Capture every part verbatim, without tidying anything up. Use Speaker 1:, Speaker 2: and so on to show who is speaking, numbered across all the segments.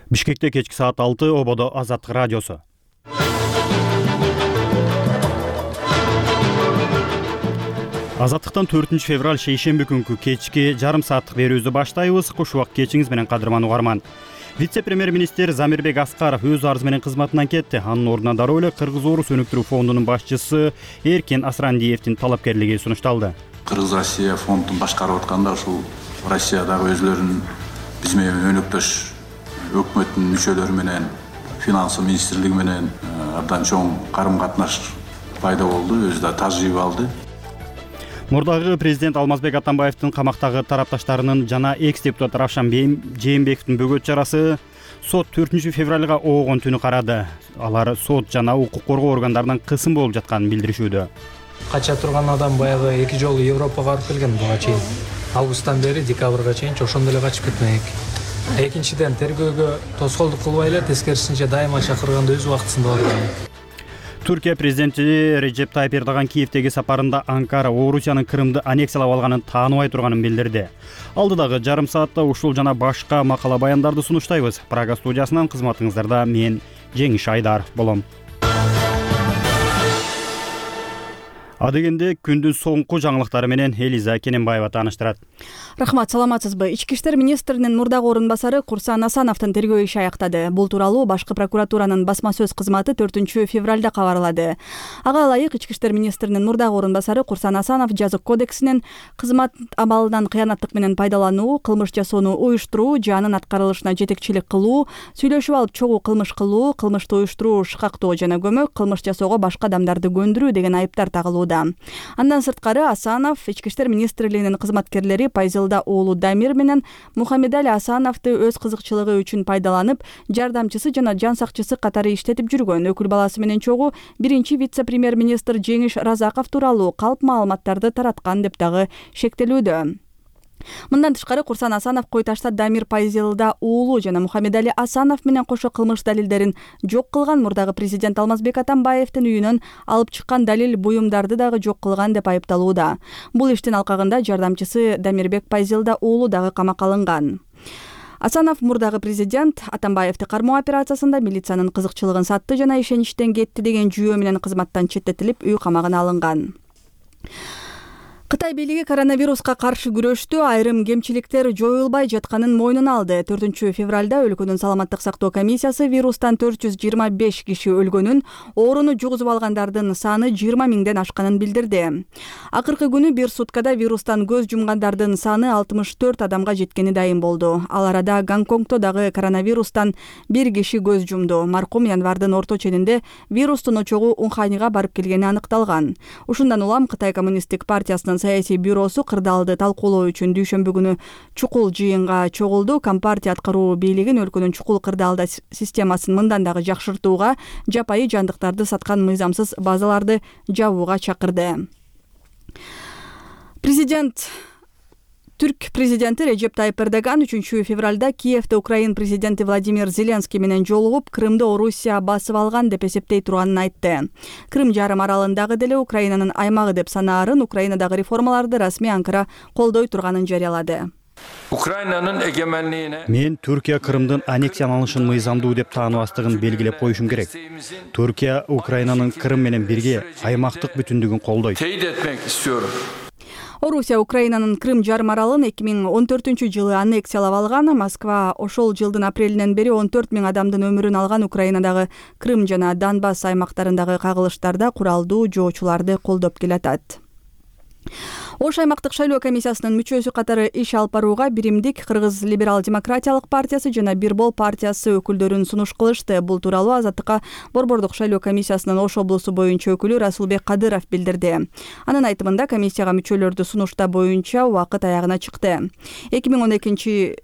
Speaker 1: Бишкекте кечки саат алты, Ободо Азаттык радиосу. Азаттыктан төртүнчү февраль шейшемби күнкү кечки жарым сааттык берүүбүздү баштайбыз. Кош убак кечиңиз менен кадырман угарман. Вице-премьер-министр Замирбек Аскаров өз арызы менен кызматынан кетти. Анын ордуна дароо эле Кыргыз Орус өнүктүрүү фондунун башчысы Эркин Асрандиевдин талапкерлиги сунушталды.
Speaker 2: Кыргыз Россия фондун башкарып атканда ушул Россиядагы өзлөрүнүн биз менен өнөктөш өкмөттүн мүчөлөрү менен, финансы министрлиги менен абдан чоң карым-катнаш пайда болду, өзү да тажрыйба алды.
Speaker 1: Мурдагы президент Алмазбек Атамбаевдин камактагы тарапташтарынын жана экс-депутат Равшан Жээнбековдун бөгөт чарасы сот төртүнчү февралга оогон түнү карады. Алар сот жана укук коргоо органдарынан кысым болуп жатканын билдиришүүдө.
Speaker 3: Кача турган адам баягы эки жолу Европага барып келген буга чейин. Августтан бери декабрга чейин ошондой эле качып кетмек. Экинчиден, тергөөгө тоскоолдук кылбай эле тескерисинче дайыма чакырганда өз убактысында барган.
Speaker 1: Түркия президенти Режеп Тайып Эрдоган Киевдеги сапарында Анкара Орусиянын Крымды аннексиялап алганын тааныбай турганын билдирди. Алдыдагы жарым саатта ушул жана башка макала баяндарды сунуштайбыз. Прага студиясынан кызматыңыздарда мен Жеңиш Айдаров болом. Адегенде күндүн соңку жаңылыктары менен Элиза Кененбаева тааныштырат.
Speaker 4: Рахмат, саламатсызбы? Ички иштер министринин мурдагы орун басары Курсан Асановдун тергөө иши аяктады. Бул тууралуу башкы прокуратуранын басма сөз кызматы төртүнчү февралда кабарлады. Ага ылайык ички иштер министринин мурдагы орун басары Курсан Асанов жазык кодексинин кызмат абалынан кыянаттык менен пайдалануу, кылмыш жасоону уюштуруу, жанын аткарылышына жетекчилик кылуу, сүйлөшүп алып чогуу кылмыш кылуу, кылмышты уюштуруу, шыкактоо жана көмөк, кылмыш жасоого башка адамдарды көндүрүү деген айыптар тагылууда. Андан сырткары Асанов ички иштер министрлигинин кызматкерлери Пайзылда уулу Дамир менен Мухаммедали Асановду өз кызыкчылыгы үчүн пайдаланып, жардамчысы жана жан сакчысы катары иштетип жүргөн. Өкүл баласы менен чогуу биринчи вице-премьер-министр Жеңиш Разаков тууралуу калп маалыматтарды тараткан деп дагы шектелүүдө. Мындан тышкары Курсан Асанов кой ташта Дамир Пайзылда уулу жана Мухаммедали Асанов менен кошо кылмыш далилдерин жок кылган, мурдагы президент Алмазбек Атамбаевдин үйүнөн алып чыккан далил буюмдарды дагы жок кылган деп айыпталууда. Бул иштин алкагында жардамчысы Дамирбек Пайзылда уулу дагы камакка алынган. Асанов мурдагы президент Атамбаевди кармоо операциясында милициянын кызыкчылыгын сатты жана ишеничтен кетти деген жүйөө менен кызматтан четтетилип, үй камагына алынган. Кытай бийлиги коронавируска каршы күрөштө айрым кемчиликтер жоюлбай жатканын мойнуна алды. төртүнчү февралда өлкөнүн саламаттык сактоо комиссиясы вирустан төрт жүз жыйырма беш киши өлгөнүн, ооруну жугузуп алгандардын саны жыйырма миңден ашканын билдирди. Акыркы күнү бир суткада вирустан көз жумгандардын саны алтымыш төрт адамга жеткени дайым болду. Ал арада Гонконгдо дагы коронавирустан бир киши көз жумду. Маркум январдын орто ченинде вирустун очогу Уханьга барып келгени аныкталган. Ушундан улам Кытай коммунисттик партиясынын саясий бюросу кырдаалды талкуулоо үчүн дүйшөмбү күнү чукул жыйынга чогулду. Компартия аткаруу бийлигин өлкөнүн чукул кырдаалда системасын мындан дагы жакшыртууга, жапайы жандыктарды саткан мыйзамсыз базаларды жабууга чакырды. Президент Түрк президенти Режеп Тайып Эрдоган үчүнчү февралда Киевде Украин президенти Владимир Зеленский менен жолугуп, Крымды Орусия басып алган деп эсептей турганын айтты. Крым жарым аралындагы деле Украинанын аймагы деп санаарын, Украинадагы реформаларды расмий Анкара колдой турганын жарыялады.
Speaker 5: Украинанын эгемендигине
Speaker 1: Мен Түркия Крымдын аннексияланышын мыйзамдуу деп тааныбастыгын белгилеп коюшум керек. Түркия Украинанын Крым менен бирге аймактык бүтүндүгүн колдойт.
Speaker 5: тейит этmek istiyorum.
Speaker 4: Орусия Украинанын Крым жарым аралын эки миң он төртүнчү жылы аннексиялап алган. Москва ошол жылдын апрелинен бери он төрт миң адамдын өмүрүн алган Украинадагы Крым жана Донбасс аймактарындагы кагылыштарда куралдуу жоочуларды колдоп келатат. Ош аймактык шайлоо комиссиясынын мүчөсү катары иш алып барууга Биримдик Кыргыз либерал-демократиялык партиясы жана Бирбол партиясы өкүлдөрүн сунуш кылышты. Бул тууралуу Азаттыкка Борбордук шайлоо комиссиясынын Ош облусу боюнча өкүлү Расулбек Кадыров билдирди. Анын айтымында комиссияга мүчөлөрдү сунуштаа боюнча убакыт аягына чыкты. эки миң он экинчи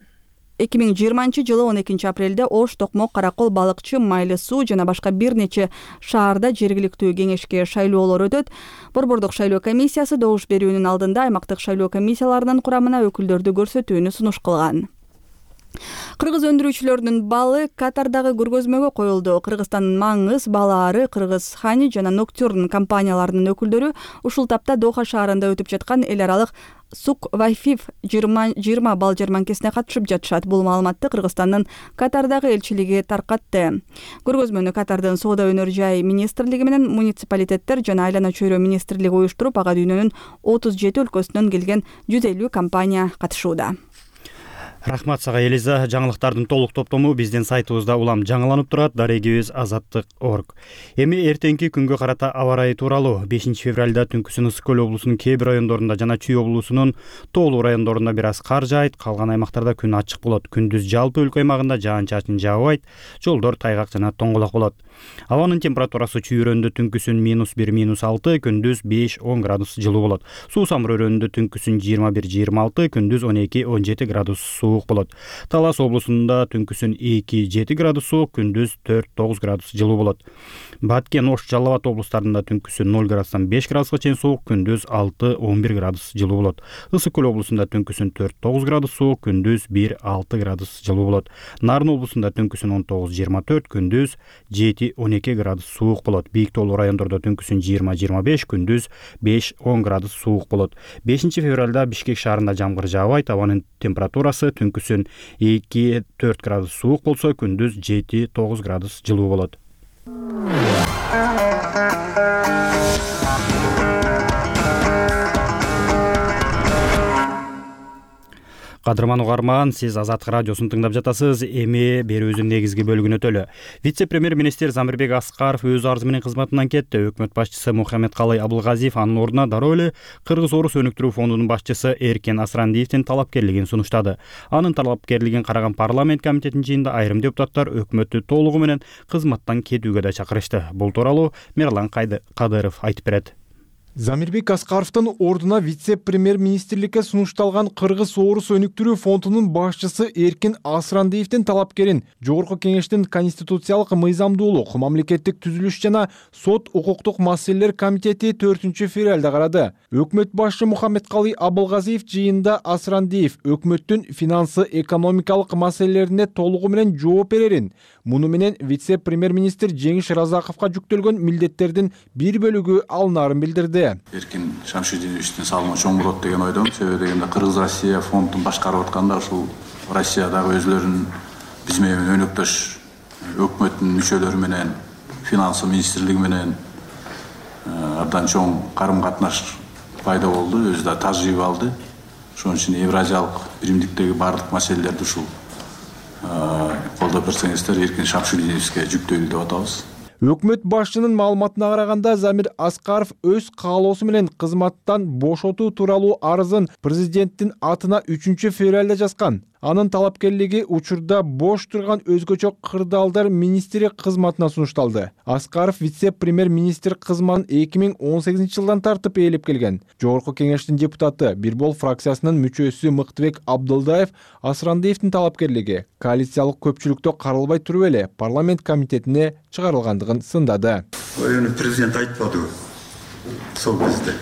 Speaker 4: эки миң жыйырманчы жылы он экинчи апрелде Ош, Токмок, Каракол, Балыкчы, Майлы суу жана башка бир нече шаарда жергиликтүү кеңешке шайлоолор өтөт. Борбордук шайлоо комиссиясы добуш берүүнүн алдында аймактык шайлоо комиссияларынын курамына өкүлдөрдү көрсөтүүнү сунуш кылган. Кыргыз өндүрүүчүлөрүнүн балы Катардагы көргөзмөгө коюлду. Кыргызстандын Маңыз, Балаары, Кыргыз Хани жана Ноктюрн компанияларынын өкүлдөрү ушул тапта Доха шаарында өтүп жаткан эл аралык Сук Вайфиф жыйырма бал жарманкесине катышып жатышат. Бул маалыматты Кыргызстандын Катардагы элчилиги таркатты. Көргөзмөнү Катардын Соода өнөр жай министрлиги менен муниципалитеттер жана айлана чөйрө министрлиги уюштуруп, ага дүйнөнүн отуз жети өлкөсүнөн келген жүз элүү компания катышууда.
Speaker 1: Рахмат сага, Элиза. Жаңылыктардын толук топтому биздин сайтыбызда улам жаңыланып турат. Дарегибиз азаттык точка орг. Эми эртеңки күнгө карата аба ырайы тууралуу. бешинчи февралда түнкүсүн Ысык көл облусунун кээ бир райондорунда жана Чүй облусунун тоолуу райондорунда бир аз кар жаайт, калган аймактарда күн ачык болот. Күндүз жалпы өлкө аймагында жаан-чачын жаабайт, жолдор тайгак жана тоңголок болот. Абанын температурасы Чүй өрөөнүндө түнкүсүн минус бир минус алты, күндүз беш он градус жылуу болот. Суу Самыр өрөөнүндө түнкүсүн жыйырма бир жыйырма алты, күндүз он эки он жети градус суук болот. Талас облусунда түнкүсүн эки жети градус суук, күндүз төрт тогуз градус жылуу болот. Баткен, Ош, Жалал Абад облустарында түнкүсүн ноль градустан беш градуска чейин суук, күндүз алты он бир градус жылуу болот. Ысык көл облусунда түнкүсүн төрт тогуз градус суук, күндүз бир алты градус жылуу болот. Нарын облусунда түнкүсүн он тогуз жыйырма төрт, күндүз жети он эки градус суук болот. Бийик тоолуу райондордо түнкүсүн жыйырма жыйырма беш, күндүз беш он градус суук болот. бешинчи февралда Бишкек шаарында жамгыр жаабайт, абанын температурасы түнкүсүн эки төрт градус суук болсо, күндүз жети тогуз градус жылуу болот. Кадырман угарман, сиз Азаттык радиосун тыңдап жатасыз. Эми берүүбүздүн негизги бөлүгүнө өтөлү. Вице-премьер-министр Замирбек Аскаров өз арызы менен кызматынан кетти. Өкмөт башчысы Мухаммедкалый Абылгазиев анын ордуна дароо эле Кыргыз Орус өнүктүрүү фондунун башчысы Эркен Асрандиевдин талапкерлигин сунуштады. Анын талапкерлигин караган парламент комитетинин жыйынында айрым депутаттар өкмөттү толугу менен кызматтан кетүүгө да чакырышты. Бул тууралуу Мерлан Кадыров айтып берет.
Speaker 6: Замирбек Аскаровдун ордуна вице-премьер-министрликке сунушталган Кыргыз Орус өнүктүрүү фондунун башчысы Эркен Асрандиевдин талапкерин Жогорку Кеңештин конституциялык мыйзамдуулук, мамлекеттик түзүлүш жана сот укуктук маселелер комитети төртүнчү февралда карады. Өкмөт башчы Мухаммедкалый Абылгазиев жыйында Асрандиев өкмөттүн финансы экономикалык маселелерине толугу менен жооп берерин, муну менен вице-премьер-министр Жеңиш Разаковго жүктөлгөн милдеттердин бир бөлүгү алынаарын билдирди.
Speaker 2: Эркин Шамшидиновичтин салымы чоң болот деген ойдомун. Себеби дегенде Кыргыз Россия фондун башкарып атканда ушул Россиядагы өзлөрүнүн биз менен өнөктөш өкмөттүн мүчөлөрү менен, финансы министрлиги менен абдан чоң карым-катнаш пайда болду, өзү да тажрыйба алды. Ошон үчүн Евразиялык биримдиктеги баардык маселелерди ушул колдоп берсеңиздер Эркин Шамшидиновичке жүктөйлү деп атабыз.
Speaker 6: Өкмөт башчынын маалыматына караганда Замир Аскаров өз каалоосу менен кызматтан бошотуу тууралуу арызын президенттин атына үчүнчү февралда жазган. Анын талапкерлиги учурда бош турган өзгөчө кырдаалдар министри кызматына сунушталды. Аскаров вице-премьер-министр кызматын эки миң он сегизинчи жылдан тартып ээлеп келген. Жогорку Кеңештин депутаты, Бир Бол фракциясынын мүчөсү Мыктыбек Абдылдаев Асрандиевдин талапкерлиги коалициялык көпчүлүктө каралбай туруп эле парламент комитетине чыгарылгандыгын сындады.
Speaker 7: Президент айтпадыбы? Сол кезде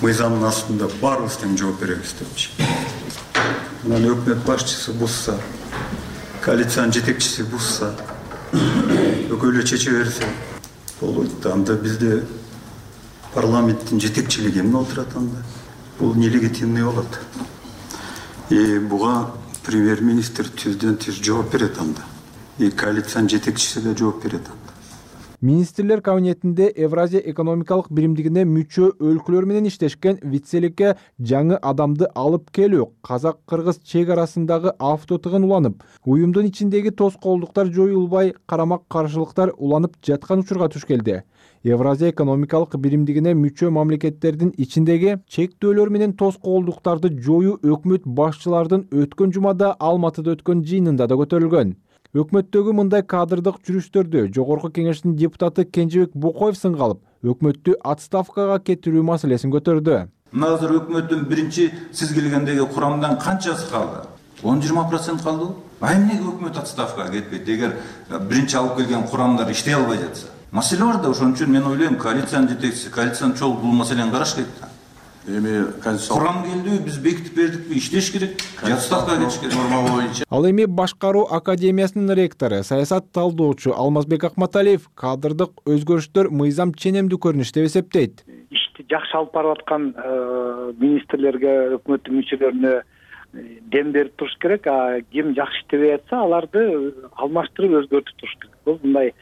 Speaker 7: мыйзамдын астында баарыбыз тең жооп беребиз депчи. Мына өкмөт башчысы бузса, коалициянын жетекчиси бузса, өкөлө чече берсе болот. Анда бизде парламенттин жетекчилиги эмне отурат анда? Бул нелегитимный болот. И буга премьер-министр түздөн түз жооп берет анда. И коалициянын жетекчиси да жооп берет анда.
Speaker 6: Министрлер кабинетинде Евразия экономикалык биримдигине мүчө өлкөлөр менен иштешкен вицеликке жаңы адамды алып келүү казак-кыргыз чек арасындагы автотыгын уланып, уюмдун ичиндеги тоскоолдуктар жоюлбай, карамак-каршылыктар уланып жаткан учурга туш келди. Евразия экономикалык биримдигине мүчө мамлекеттердин ичиндеги чектөөлөр менен тоскоолдуктарды жоюу өкмөт башчылардын өткөн жумада Алматыда өткөн жыйынында да көтөрүлгөн. Өкмөттөгү мындай кадрдык жүрүштөрдү Жогорку Кеңештин депутаты Кенжебек Бокоев сынга алып, өкмөттү отставкага кетирүү маселесин көтөрдү.
Speaker 8: Азыр өкмөттүн биринчи сиз келгендеги курамдан канчасы калды? он жыйырма процент калды. А эмнеге өкмөт отставкага кетпейт? Эгер биринчи алып келген курамдар иштей албай жатса. Маселе бар да, ошон үчүн мен ойлойм, коалициянын жетекчиси, коалициянын чогуу бул маселени караш керек.
Speaker 2: эми конституциялык
Speaker 8: курам келдиби, биз бекитип бердикпи, иштеш керек, жатстакка кетиш керек.
Speaker 2: норма боюнча.
Speaker 6: Ал эми Башкаруу академиясынын ректору, саясат талдоочу Алмазбек Акматалиев кадрдык өзгөрүштөр мыйзам ченемдүү көрүнүш деп эсептейт.
Speaker 9: Ишти жакшы алып барып аткан министрлерге, өкмөттүн мүчөлөрүнө дем берип туруш керек. А ким жакшы иштебей атса, аларды алмаштырып өзгөртүп туруш керек. Бул мындай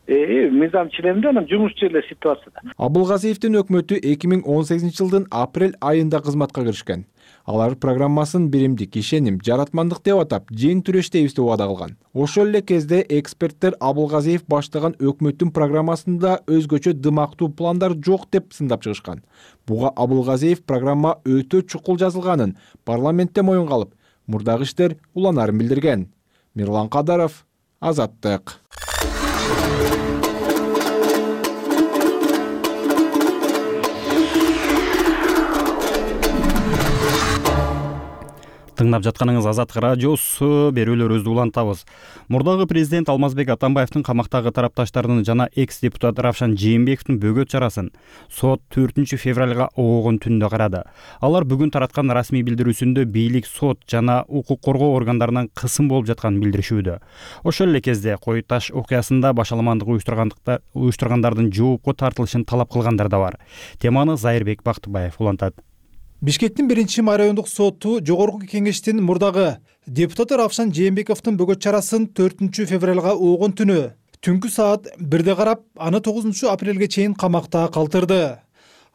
Speaker 9: мыйзам ченемдүү, анан жумушчу эле ситуацияда.
Speaker 6: Абылгазиевдин өкмөтү эки миң он сегизинчи жылдын апрель айында кызматка киришкен. Алар программасын биримдик, ишеним, жаратмандык деп атап, жең түрештейбиз деп убада кылган. Ошол эле кезде эксперттер Абылгазиев баштаган өкмөттүн программасында өзгөчө дымактуу пландар жок деп сындап чыгышкан. Буга Абылгазиев программа өтө чукул жазылганын парламентте моюнга алып, мурдагы иштер уланарын билдирген. Мирлан Кадаров, Азаттык.
Speaker 1: Тыңдап жатканыңыз Азаттык радиосу, берүүлөрүбүздү улантабыз. Мурдагы президент Алмазбек Атамбаевдин камактагы тарапташтарынын жана экс-депутат Равшан Жээнбековдун бөгөт чарасын сот төртүнчү февралга оогун түндө карады. Алар бүгүн тараткан расмий билдирүүсүндө бийлик, сот жана укук коргоо органдарынан кысым болуп жатканын билдиришүүдө. Ошол эле кезде Кой Таш окуясында башаламандык уюштургандардын жоопко тартылышын талап кылгандар да бар. Теманы Зайырбек Бактыбаев улантат.
Speaker 10: Бишкектин биринчи райондук соту жогорку кеңештин мурдагы депутаты Равшан Жээнбековдун бөгөт чарасын төртүнчү февралга оогун түнү түнкү саат бирде карап, аны тогузунчу апрелге чейин камакта калтырды.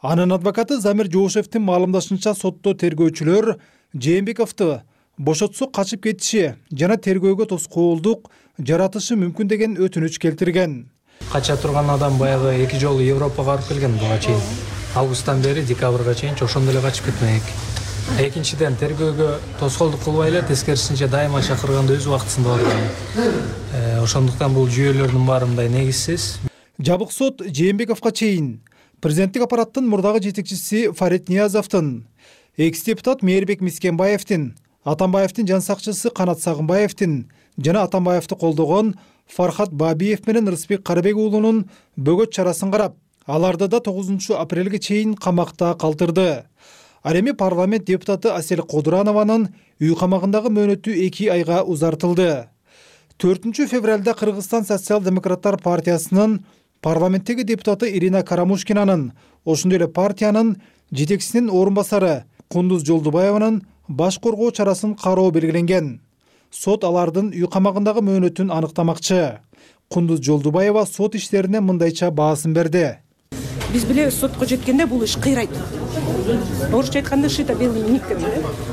Speaker 10: Анын адвокаты Замир Жоошевдин маалымдашынча, сотто тергөөчүлөр Жээнбековду бошотсо качып кетиши жана тергөөгө тоскоолдук жаратышы мүмкүн деген өтүнүч келтирген.
Speaker 3: Кача турган адам баягы эки жолу Европага барып келген буга чейин. Августтан бери декабрга чейин ошондой эле качып кетмек. Экинчиден, тергөөгө тоскоолдук кылбай эле, тескерисинче дайыма чакырганда өз убактысында барган. Ошондуктан бул жүйөлөрдүн баары мындай негизсиз.
Speaker 10: Жабык сот Жээнбековго чейин президенттик аппараттын мурдагы жетекчиси Фарид Ниязовдун, экс-депутат Мээрбек Мискенбаевдин, Атамбаевдин жан сакчысы Канат Сагынбаевдин жана Атамбаевди колдогон Фархат Бабиев менен Рыспек Карабек уулунун бөгөт чарасын карап, аларды да тогузунчу апрелге чейин камакта калтырды. Ал эми парламент депутаты Асель Кодуранованын үй камагындагы мөөнөтү эки айга узартылды. төртүнчү февралда Кыргызстан социал-демократтар партиясынын парламенттеги депутаты Ирина Карамушкинанын, ошондой эле партиянын жетекчисинин орун басары Кундуз Жолдубаеванын баш коргоо чарасын кароо белгиленген. Сот алардын үй камагындагы мөөнөтүн аныктамакчы. Кундуз Жолдубаева сот иштерине мындайча баасын берди.
Speaker 11: Биз билебиз, сотко жеткенде бул иш кыйрайт. Орусча айтканда шита белый ник деп.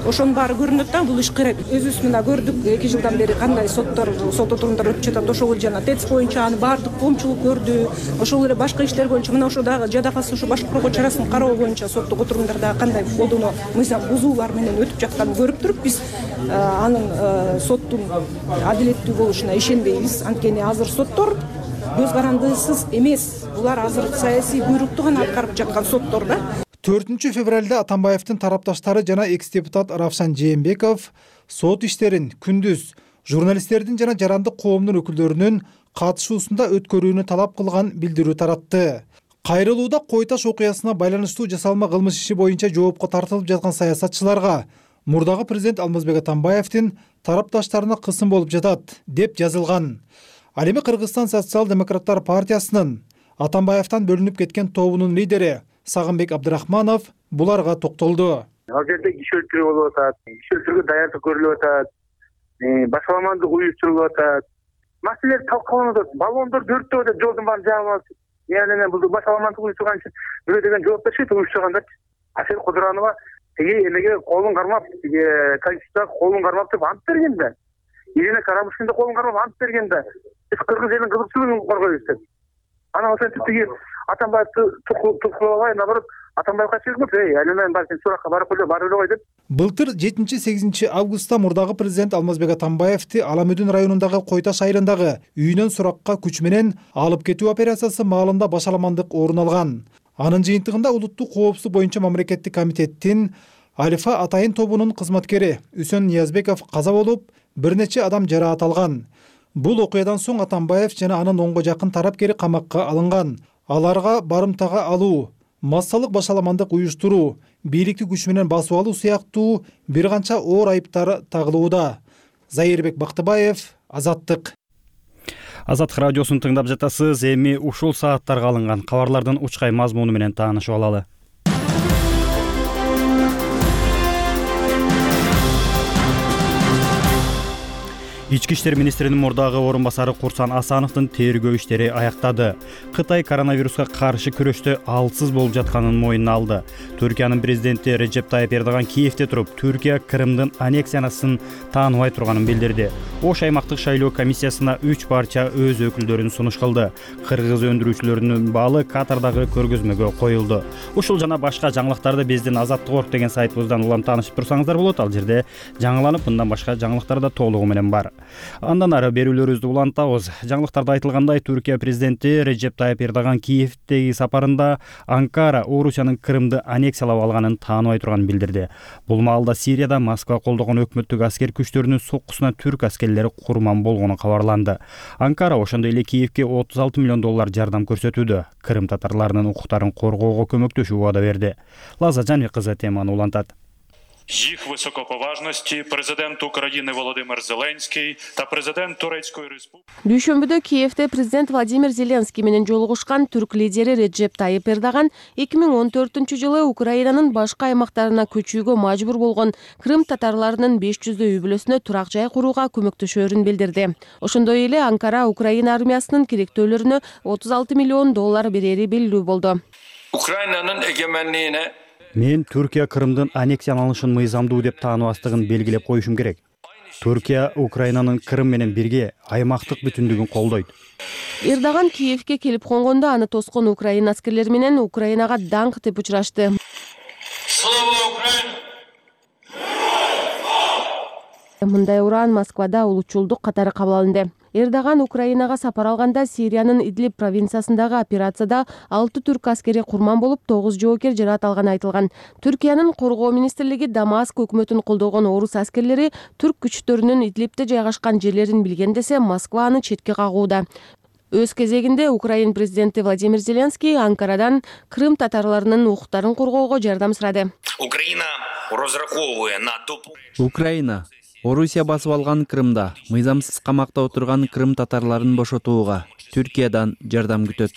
Speaker 11: Ошонун баары көрүнөт да, бул иш кыйрайт. Өзүбүз мына көрдүк, эки жылдан бери кандай соттор, сот отурумдар өтүп жатат. Ошол жана ТЭЦ боюнча аны баардык коомчулук көрдү. Ошол эле башка иштер боюнча мына ошо дагы жадакасы ушу баш коргоо чарасын кароо боюнча соттук отурумдарда кандай колдоно мыйзам бузуулар менен өтүп жатканын көрүп туруп, биз анын соттун адилеттүү болушуна ишенбейбиз. Анткени азыр соттор көз карандысыз эмес. Булар азыр саясий буйрукту гана аткарып жаткан соттор да.
Speaker 10: төртүнчү февралда Атамбаевдин тарапташтары жана экс-депутат Равшан Жээнбеков сот иштерин күндүз журналисттердин жана жарандык коомдун өкүлдөрүнүн катышуусунда өткөрүүнү талап кылган билдирүү таратты. Кайрылууда Кой Таш окуясына байланыштуу жасалма кылмыш иши боюнча жоопко тартылып жаткан саясатчыларга мурдагы президент Алмазбек Атамбаевдин тарапташтарына кысым болуп жатат деп жазылган. Ал эми Кыргызстан социал-демократтар партиясынын Атамбаевден бөлүнүп кеткен тобунун лидери Сагынбек Абдырахманов буларга токтолду.
Speaker 12: Ал жерде иш өлтүрүү болуп атат, иш өлтүрүүгө даярдык көрүлүп атат, башаламандык уюштурулуп атат. Маселелер талкаланып атат. Баллондор төрттөө деп жолдун баарын жаап алып, яны бул башаламандык уюштурган үчүн бирөө деген жооп беришет, уюштургандар. Асель Кодуранова тиги эмеге колун кармап, тиги Конституцияга колун кармап деп ант берген да. Ирина Карамушкин да колун кармап ант берген да. Биз кыргыз элинин кызыкчылыгын коргойбуз деп. Анан ошентип тиги Атамбаевди туткулабай, наоборот, Атамбаевга чыгып, эй, айнанайын бар, сен суракка барып эле, барып эле кой деп.
Speaker 10: Былтыр жетинчи сегизинчи августта мурдагы президент Алмазбек Атамбаевди Аламүдүн районундагы Кой Таш айылындагы үйүнөн суракка күч менен алып кетүү операциясы маалында башаламандык орун алган. Анын жыйынтыгында улуттук коопсуздук боюнча мамлекеттик комитеттин Алифа Атайын тобунун кызматкери Үсөн Ниязбеков каза болуп, бир нече адам жараат алган. Бул окуядан соң Атамбаев жана анын онго жакын тарапкери камакка алынган. Аларга барымтага алуу, массалык башаламандык уюштуруу, бийликти күч менен басып алуу сыяктуу бир канча оор айыптар тагылууда. Зайырбек Бактыбаев, Азаттык.
Speaker 1: Азаттык радиосун тыңдап жатасыз. Эми ушул сааттарга алынган кабарлардын учкай мазмуну менен таанышып алалы. Ички иштер министринин мурдагы орун басары Курсан Асановдун тергөө иштери аяктады. Кытай коронавируска каршы күрөштө алсыз болуп жатканын мойнуна алды. Түркиянын президенти Реджеп Тайып Эрдоган Киевде туруп, Түркия Крымдын аннексиясын тааныбай турганын билдирди. Ош аймактык шайлоо комиссиясына үч парча өз өкүлдөрүн сунуш кылды. Кыргыз өндүрүүчүлөрүнүн баалы Катардагы көргөзмөгө коюлду. Ушул жана башка жаңылыктарды биздин Азаттык орг деген сайтыбыздан улам таанышып турсаңыздар болот. Ал жерде жаңыланып, мындан башка жаңылыктар да толугу менен бар. Андан ары берүүлөрүбүздү улантабыз. Жаңылыктарда айтылгандай, Түркия президенти Реджеп Тайып Эрдоган Киевдеги сапарында Анкара Орусиянын Крымды аннексиялап алганын тааныбай турганын билдирди. Бул маалда Сирияда Москва колдогон өкмөттүк аскер күчтөрүнүн соккусуна түрк аскерлери курман болгону кабарланды. Анкара ошондой эле Киевге отуз алты миллион доллар жардам көрсөтүүдө. Крым татарларынын укуктарын коргоого көмөктөшүү убада берди. Лаза Жанбек кызы теманы улантат.
Speaker 13: Їх високоповажності президент України Володимир Зеленський та президент Турецької Республіки.
Speaker 14: Дүйшөмбүдө Киевде президент Владимир Зеленский менен жолугушкан түрк лидери Реджеп Тайып Эрдоган эки миң он төртүнчү жылы Украинанын башка аймактарына көчүүгө мажбур болгон Крым татарларынын беш жүздөй үй бүлөсүнө турак жай курууга көмөктөшөөрүн билдирди. Ошондой эле Анкара Украина армиясынын керектөөлөрүнө отуз алты миллион доллар берери белгилүү болду.
Speaker 5: Ukrayna'nın egemenliğine
Speaker 1: Мен Түркия Крымдын аннексияланышын мыйзамдуу деп тааныбастыгын белгилеп коюшум керек. Түркия Украинанын Крым менен бирге аймактык бүтүндүгүн колдойт.
Speaker 14: Эрдоган Киевге келип конгондо аны тоскон Украина аскерлери менен Украинага даңк деп учурашты. Мындай уран Москвада улутчулдук катары кабыл алынды. Эрдоган Украинага сапар алганда Сириянын Идлиб провинциясындагы операцияда алты түрк аскери курман болуп, тогуз жоокер жаракат алганы айтылган. Түркиянын коргоо министрлиги Дамаск өкмөтүн колдогон орус аскерлери түрк күчтөрүнүн Идлибде жайгашкан жерлерин билген десе, Москва аны четке кагууда. Өз кезегинде Украин президенти Владимир Зеленский Анкарадан Крым татарларынын укуктарын коргоого жардам сурады.
Speaker 15: Украина розраховывая на топ.
Speaker 16: Украина Орусия басып алган Крымда мыйзамсыз камакта отурган Крым татарларын бошотууга Түркиядан жардам күтөт.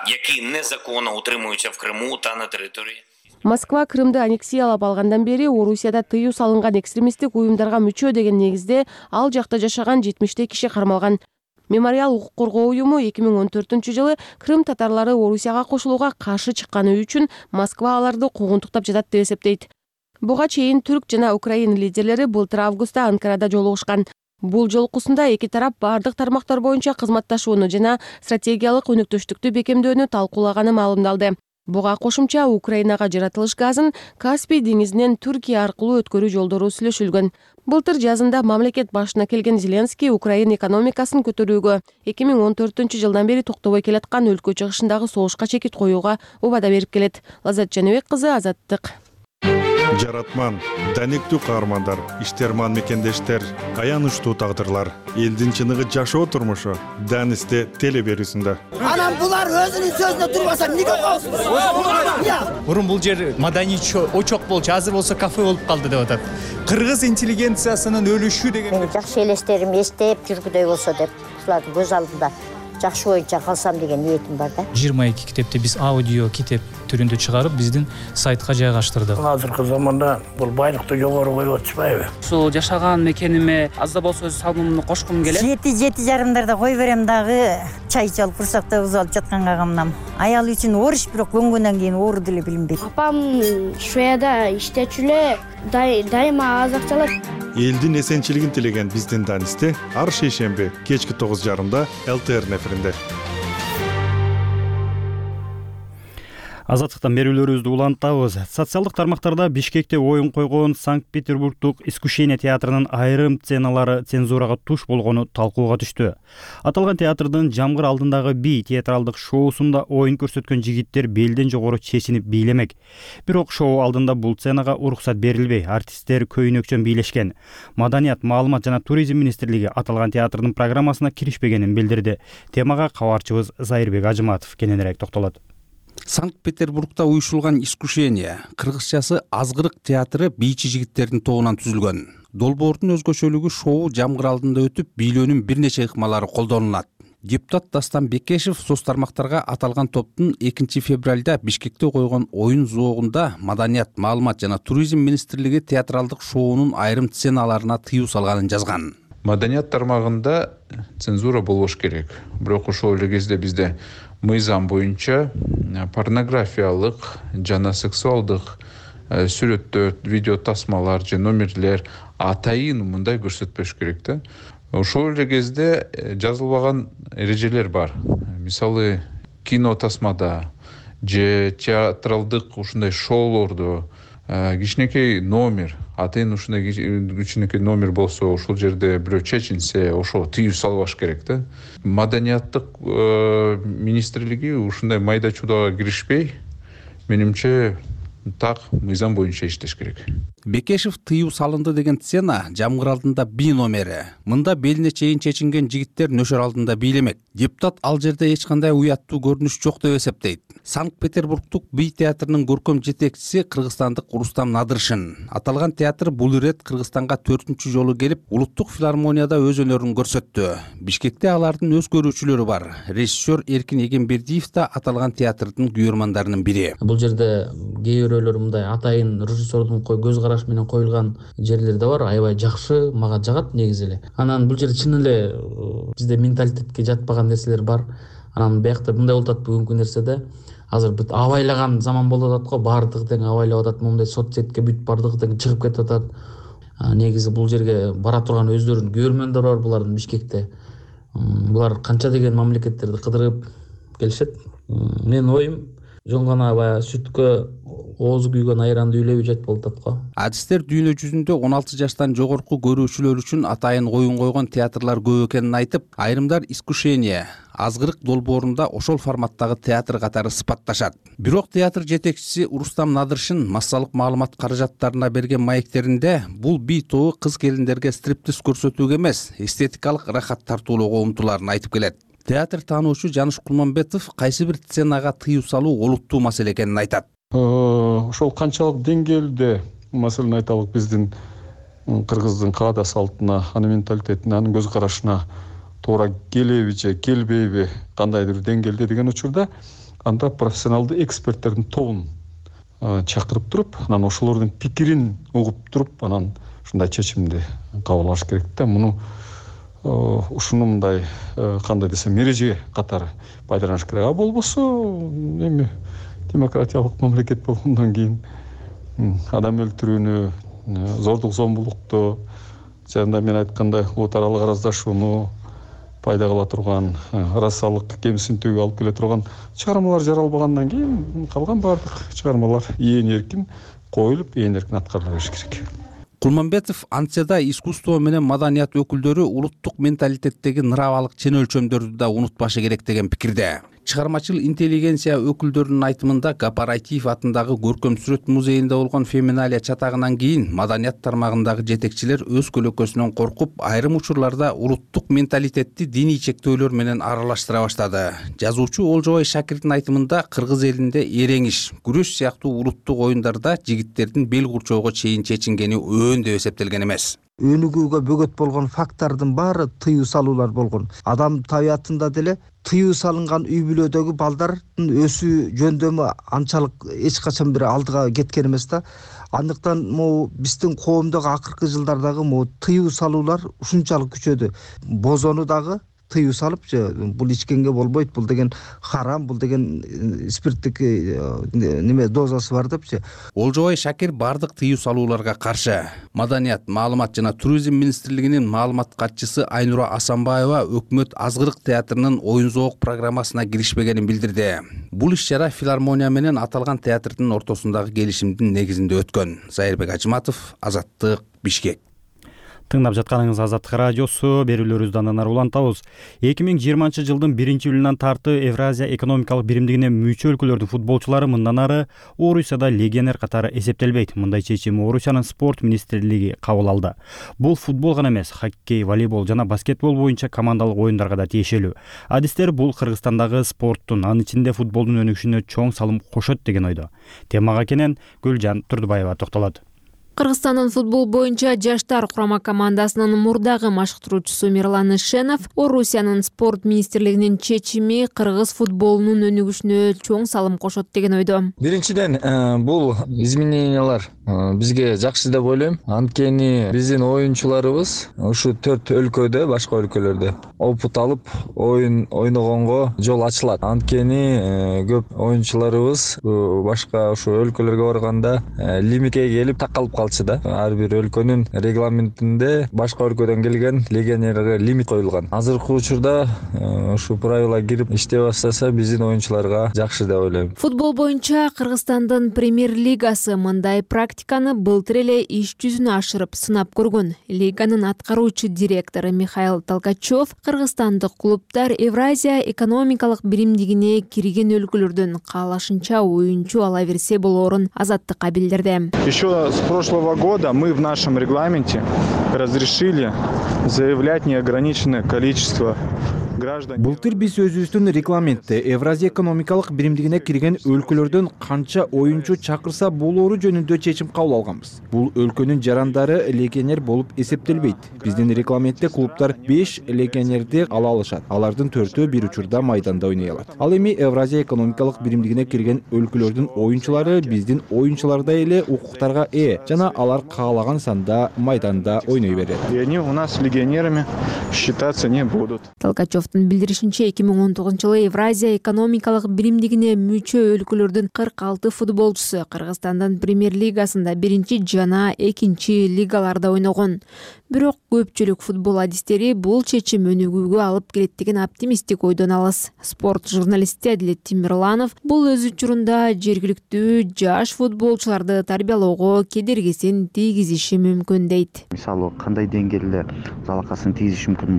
Speaker 15: Які незаконно утримуються в Криму та на території.
Speaker 14: Москва Крымды аннексиялап алгандан бери Орусияда тыюу салынган экстремисттик уюмдарга мүчө деген негизде ал жакта жашаган жетимиштей киши кармалган. Мемориал укук коргоо уюму эки миң он төртүнчү жылы Крым татарлары Орусияга кошулууга каршы чыкканы үчүн Москва аларды куугунтуктап жатат деп эсептейт. Буга чейин түрк жана Украина лидерлери былтыр августта Анкарада жолугушкан. Бул жолукусунда эки тарап бардык тармактар боюнча кызматташууну жана стратегиялык өнөктөштүктү бекемдөөнү талкуулаганы маалымдалды. Буга кошумча Украинага жаратылыш газын Каспий деңизинен Түркия аркылуу өткөрүү жолдору сүйлөшүлгөн. Былтыр жазында мамлекет башына келген Зеленский Украина экономикасын көтөрүүгө эки миң он төртүнчү жылдан бери токтобой келаткан өлкө чыгышындагы согушка чекит коюуга убада берип келет. Лазат Жаныбек кызы, Азаттык.
Speaker 17: Жаратман, даниктүү каармандар, иштерман мекендештер, аянычтуу тагдырлар, элдин чыныгы жашоо турмушу Данисте теле берүүсүндө.
Speaker 18: Анан булар өзүнүн сөзүнө турбаса эмнеге коесуз?
Speaker 19: Мурун бул жер маданий очок болчу, азыр болсо кафе болуп калды деп атат. Кыргыз интеллигенциясынын өлүшү деген.
Speaker 20: Мен жакшы элестерим эстеп жүргүдөй болсо деп, ушулардын көз алдында жакшы боюнча калсам деген ниетим бар да.
Speaker 3: жыйырма эки китепти биз аудио китеп түрүндө чыгарып биздин сайтка жайгаштырдык.
Speaker 21: Азыркы заманда бул байлыкты жогору коюп атышпайбы?
Speaker 22: Ушул жашаган мекениме аз да болсо өз салымымды кошкум келет.
Speaker 23: Жети жети жарымдарда кой берем дагы, чай чалып курсакта уз алып жатканга камнам. Аял үчүн оруч, бирок көнгөндөн кийин оору деле билинбейт.
Speaker 24: Апам Шведияда иштечү эле, дайыма аз акча алат.
Speaker 17: Элдин эсенчилигин тилеген биздин Данисте ар шейшемби кечки тогуз жарымда эл тэ эр эфиринде.
Speaker 1: Азаттыктан берүүлөрүбүздү улантабыз. Социалдык тармактарда Бишкекте оюн койгон Санкт-Петербургдук Искушение театрынын айрым сценалары цензурага туш болгону талкууга түштү. Аталган театрдын жамгыр алдындагы бий театралдык шоусунда оюн көрсөткөн жигиттер белден жогору чечинип бийлемек. Бирок шоу алдында бул сценага уруксат берилбей, артисттер көйнөкчөн бийлешкен. Маданият, маалымат жана туризм министрлиги аталган театрдын программасына киришпегенин билдирди. Темага кабарчыбыз Зайырбек Ажыматов кененирээк токтолот.
Speaker 2: Санкт-Петербургда уюшулган «Искушение» кыргызчасы азгырык театры бийчи жигиттердин тобунан түзүлгөн. Долбоордун өзгөчөлүгү шоу жамгыр алдында өтүп, бийлөөнүн бир нече ыкмалары колдонулат. Депутат Дастан Бекешев соц тармактарга аталган топтун экинчи февралда Бишкекте койгон оюн зоогунда Маданият, маалымат жана туризм министрлиги театралдык шоунун айрым сценаларына тыюу салганын жазган.
Speaker 4: Маданият тармагында цензура болбош керек. Бирок ошол эле кезде бизде мыйзам боюнча порнографиялык жана сексуалдык сүрөттөр, видео тасмалар же номерлер атайын мындай көрсөтпөш керек да. Ошол эле кезде жазылбаган эрежелер бар. Мисалы, кино тасмада же театралдык ушундай шоулордо кичинекей номер, атайын ушундай кичинекей номер болсо, ошол жерде бирөө чечинсе, ошого тыюу салбаш керек да. Маданияттык министрлиги ушундай майда чуудага киришпей, менимче так мыйзам боюнча иштеш керек.
Speaker 2: Бекешев тыюу салынды деген сцена жамгыр алдында би номери. Мында белине чейин чечинген жигиттер нөшөр алдында бийлемек. Депутат ал жерде эч кандай уяттуу көрүнүш жок деп эсептейт. Санкт-Петербургдук бий театрынын көркөм жетекчиси кыргызстандык Рустам Надыршин. Аталган театр бул ирет Кыргызстанга төртүнчү жолу келип, улуттук филармонияда өз өнөрүн көрсөттү. Бишкекте алардын өз көрүүчүлөрү бар. Режиссер Эркин Эгембердиев да аталган театрдын күйөрмандарынын бири.
Speaker 7: Бул жерде кээ бирөөлөр мындай атайын режиссердун көз карашы менен коюлган жерлер да бар. Аябай жакшы, мага жагат негизи эле. Анан бул жерде чын эле бизде менталитетке жатпаган нерселер бар. Анан биякта мындай болуп атат бүгүнкү нерседе. Азыр бүт абайлаган заман болуп атат го, баардыгы тең абайлап атат, моундай соцсетке бүт баардыгы тең чыгып кетип атат. Негизи бул жерге бара турган өздөрүнүн көрөрмөндөрү бар булардын Бишкекте. Булар канча деген мамлекеттерди кыдырып келишет. Менин оюм жөн гана баягы сүткө оозу күйгөн айранды үйлөбү жат болуп атат го.
Speaker 2: Адистер дүйнө жүзүндө он алты жаштан жогорку көрүүчүлөр үчүн атайын оюн койгон театрлар көп экенин айтып, айрымдар «Искушение» азгырык долбоорунда ошол форматтагы театр катары сыпатташат. Бирок театр жетекчиси Рустам Надыршин массалык маалымат каражаттарына берген маектеринде бул бий тобу кыз келиндерге стриптиз көрсөтүүгө эмес, эстетикалык рахат тартуулоого умтулаарын айтып келет. Театр таануучу Жаныш Кулманбетов кайсы бир сценага тыюу салуу олуттуу маселе экенин айтат.
Speaker 8: Ошол канчалык деңгээлде маселени айталык, биздин кыргыздын каада салтына, анын менталитетине, анын көз карашына туура келеби же келбейби, кандайдыр деңгээлде деген учурда анда профессионалдуу эксперттердин тобун чакырып туруп, анан ошолордун пикирин угуп туруп, анан ушундай чечимди кабыл алыш керек да. Муну ушуну мындай кандай десем эреже катары пайдаланыш керек. А болбосо эми демократиялык мамлекет болгондон кийин адам өлтүрүүнү, зордук зомбулукту жана мен айткандай улут аралык араздашууну пайда кыла турган, расалык кемсинтүүгө алып келе турган чыгармалар жаралбагандан кийин калган баардык чыгармалар ээн эркин коюлуп, ээн эркин аткарыла бериш керек.
Speaker 2: Кулманбетов антияда искусство менен маданият өкүлдөрү улуттук менталитеттеги нырабалык чен өлчөмдөрдү да унутпашы керек деген пикирде. Чыгармачыл интеллигенция өкүлдөрүнүн айтымында Гапарайтиев атындагы көркөм сүрөт музейинде болгон феминалия чатагынан кийин маданият тармагындагы жетекчилер өз көлөкөсүнөн коркуп, айрым учурларда улуттук менталитетти диний чектөөлөр менен аралаштыра баштады. Жазуучу Олжобай Шакирдин айтымында кыргыз элинде эреңиш, күрөш сыяктуу улуттук оюндарда жигиттердин бел курчоого чейин чечингени өөн деп эсептелген эмес.
Speaker 25: Өнүгүүгө бөгөт болгон фактордун баары тыюу салуулар болгон. Адам табиятында деле тыюу салынган үй бүлөдөгү балдардын өсүү жөндөмү анчалык эч качан бир алдыга кеткен эмес да. Андыктан могу биздин коомдогу акыркы жылдардагы могу тыюу салуулар ушунчалык күчөдү. Бозону дагы тыюу салып, бул ичкенге болбойт, бул деген харам, бул деген спирттик неме дозасы бар депчи.
Speaker 2: Олжобай Шакир бардык тыюу салууларга каршы. Маданият, маалымат жана туризм министрлигинин маалымат катчысы Айнура Асанбаева өкмөт азгырык театрынын оюн зоок программасына киришпегенин билдирди. Бул иш-чара филармония менен аталган театрдын ортосундагы келишимдин негизинде өткөн. Зайырбек Ажыматов, Азаттык, Бишкек.
Speaker 1: Тыңдап жатканыңыз Азаттык радиосу, берүүлөрүбүздү андан ары улантабыз. эки миң жыйырманчы жылдын биринчи июлунан тарты Евразия экономикалык биримдигине мүчө өлкөлөрдүн футболчулары мындан ары Орусияда легионер катары эсептелбейт. Мындай чечим Орусиянын спорт министрлиги кабыл алды. Бул футбол гана эмес, хоккей, волейбол жана баскетбол боюнча командалык оюндарга да тиешелүү. Адистер бул Кыргызстандагы спорттун, анын ичинде футболдун өнүгүшүнө чоң салым кошот деген ойдо. Темага кенен Гүлжан Турдубаева токтолот.
Speaker 6: Кыргызстандын футбол боюнча жаштар курама командасынын мурдагы машыктыруучусу Мирлан Ишенов Орусиянын спорт министрлигинин чечими кыргыз футболунун өнүгүшүнө чоң салым кошот деген ойдо.
Speaker 9: Биринчиден, бул изменениялар бизге жакшы деп ойлойм. Анткени биздин оюнчуларыбыз ушу төрт өлкөдө, башка өлкөлөрдө опыт алып, оюн ойногонго жол ачылат. Анткени көп оюнчуларыбыз башка ушу өлкөлөргө барганда лимитке келип такалып калчу да. Ар бир өлкөнүн регламентинде башка өлкөдөн келген легионерге лимит коюлган. Азыркы учурда ушу правила кирип иштей баштаса, биздин оюнчуларга жакшы деп ойлойм.
Speaker 6: Футбол боюнча Кыргызстандын премьер-лигасы мындай практиканы былтыр эле иш жүзүнө ашырып сынап көргөн. Лиганын аткаруучу директору Михаил Толкачев Кыргызстандык клубтар Евразия экономикалык биримдигине кирген өлкөлөрдөн каалашынча оюнчу ала берсе болоорун Азаттыкка билдирди.
Speaker 10: Еще с прошлого года мы в нашем регламенте разрешили заявлять неограниченное количество граждан.
Speaker 11: Былтыр биз өзүбүздүн регламентте Евразия экономикалык биримдигине кирген өлкөлөрдөн канча оюнчу чакырса болоору жөнүндө чечим кабыл алганбыз. Бул өлкөнүн жарандары легионер болуп эсептелбейт. Биздин регламентте клубтар беш легионерди ала алышат. Алардын төртөө бир учурда майданда ойной алат. Ал эми Евразия экономикалык биримдигине кирген өлкөлөрдүн оюнчулары биздин оюнчулардай эле укуктарга ээ жана алар каалаган санда майданда ойной берет.
Speaker 10: И они у нас легионерами считаться не будут.
Speaker 6: Толкачевдун билдиришинче, эки миң он тогузунчу жылы Евразия экономикалык биримдигине мүчө өлкөлөрдүн кырк алты футболчусу Кыргызстандын премьер-лигасында биринчи жана экинчи лигаларда ойногон. Бирок көпчүлүк футбол адистери бул чечим өнүгүүгө алып келет деген оптимисттик ойдон алыс. Спорт журналисти Адилет Тимирланов бул өз учурунда жергиликтүү жаш футболчуларды тарбиялоого кедергисин тийгизиши мүмкүн дейт.
Speaker 12: Мисалы, кандай деңгээлде залакасын тийгизиши мүмкүн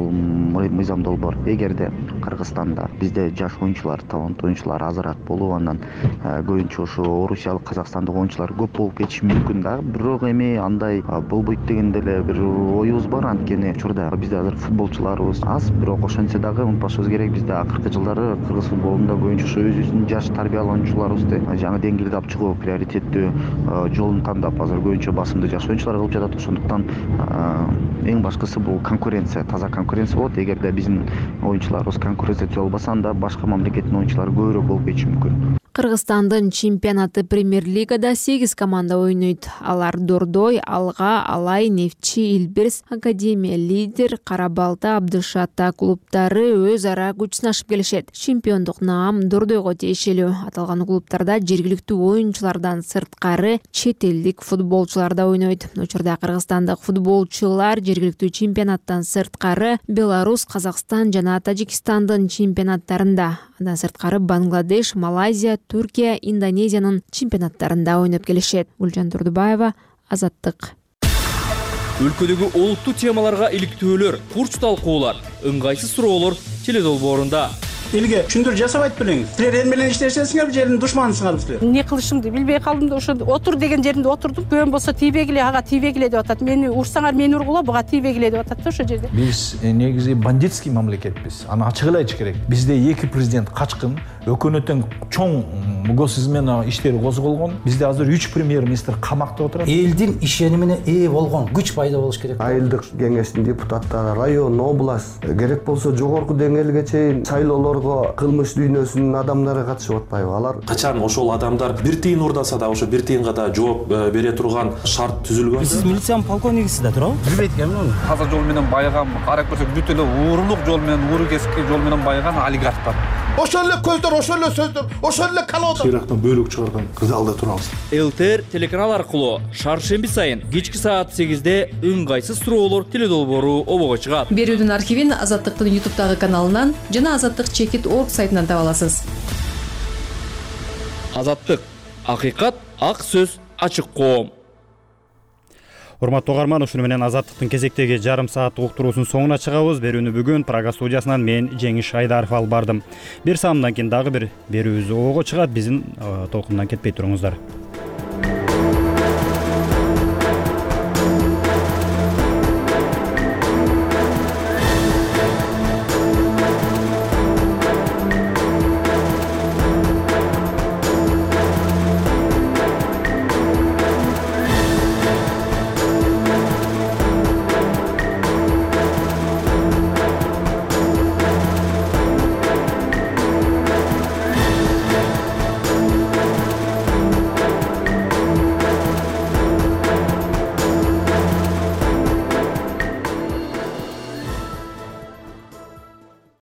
Speaker 12: бул мыйзам долбоор. Эгерде Кыргызстанда бизде жаш оюнчулар, таланттуу оюнчулар азыраак болуп, андан көбүнчө ошо орусиялык, казакстандык оюнчулар көп болуп кетиши мүмкүн да. Бирок эми андай болбойт деген деле бир оюбуз бар. Анткени учурда бизде азыр футболчуларыбыз аз, бирок ошентсе дагы унутпашыбыз керек, бизде акыркы жылдары кыргыз футболунда көбүнчө ошо өзүбүздүн жаш тарбиялануучуларыбызды жаңы деңгээлде алып чыгуу, приоритеттүү жолун тандап азыр көбүнчө басымды жаш оюнчулар кылып жатат. Ошондуктан эң башкысы бул конкуренция, таза конкуренция болот. Эгерде биздин оюнчуларыбыз конкуренция болбаса, анда башка мамлекеттин оюнчулары көбүрөөк болуп кетиши мүмкүн.
Speaker 6: Кыргызстандын чемпионаты премьер-лигада сегиз команда ойнойт. Алар Дордой, Алга, Алай, Нефчи, Илбирс, Академия, Лидер, Кара Балта, Абдыш Ата клубтары өз ара күч сынашып келишет. Чемпиондук наам Дордойго тиешелүү. Аталган клубтарда жергиликтүү оюнчулардан сырткары чет элдик футболчулар да ойнойт. Учурда кыргызстандык футболчулар жергиликтүү чемпионаттан сырткары Беларусь, Казакстан жана Тажикстандын чемпионаттарында, андан сырткары Бангладеш, Малайзия, Түркия, Индонезиянын чемпионаттарында ойноп келишет. Гүлжан Турдубаева, Азаттык.
Speaker 26: Өлкөдөгү олуттуу темаларга иликтөөлөр, курч талкуулар, ыңгайсыз суроолор теледолбоорунда.
Speaker 27: Элге түшүндүрүү жасабайт белеңиз. Силер эл менен иштешесиңер, жердин душманысыңар силер.
Speaker 28: Эмне кылышымды билбей калдым да, ошо отур деген жеринде отурдум. Көөм болсо тийбегиле, ага тийбегиле деп атат. Мени урсаңар мени ургула, буга тийбегиле деп атат да ошо жерде.
Speaker 29: Биз негизи бандитский мамлекетпиз. Аны ачык эле айтыш керек. Бизде эки президент качкын, өкмөттүн чоң госизмена иштери козголгон. Бизде азыр үч премьер-министр камакта отурат.
Speaker 27: Элдин ишенимине ээ болгон күч пайда болуш керек.
Speaker 30: Айылдык кеңештин депутаттары, район, область, керек болсо жогорку деңгээлге чейин шайлоолор кылмыш дүйнөсүнүн адамдары катышып атпайбы? Алар
Speaker 31: качан ошол адамдар бир тыйын урдаса да ошо бир тыйынга да жооп бере турган шарт түзүлгөн.
Speaker 27: Сиз милициянын полковнигисиз да туурабы? Билбейт экенмин аны.
Speaker 2: Таза жол менен байыган, карап көрсөк бүт эле уурулук жол менен, ууру кесипки жол менен байыган олигарх бар.
Speaker 27: Ошол эле көздөр, ошол эле сөздөр, ошол эле калоодор.
Speaker 29: Ирактан бөлүк чыгарган залда турабыз.
Speaker 26: ЛТР телеканал аркылуу шаршемби сайын кечки саат сегизде ыңгайсыз суроолор теледолбоору обого чыгат.
Speaker 32: Берүүдүн архивин Азаттыктын ютубтагы каналынан жана азаттык чекит точка орг сайтынан таба аласыз.
Speaker 26: Азаттык, акыйкат, ак сөз, ачык коом.
Speaker 1: Урматтуу угарман, ушуну менен Азаттыктын кезектеги жарым сааттык уктуруусунун соңуна чыгабыз. Берүүнү бүгүн Прага студиясынан мен Жеңиш Айдаров алып бардым. Бир саамдан кийин дагы бир берүүбүз ого чыгат. Биздин толкундан кетпей туруңуздар.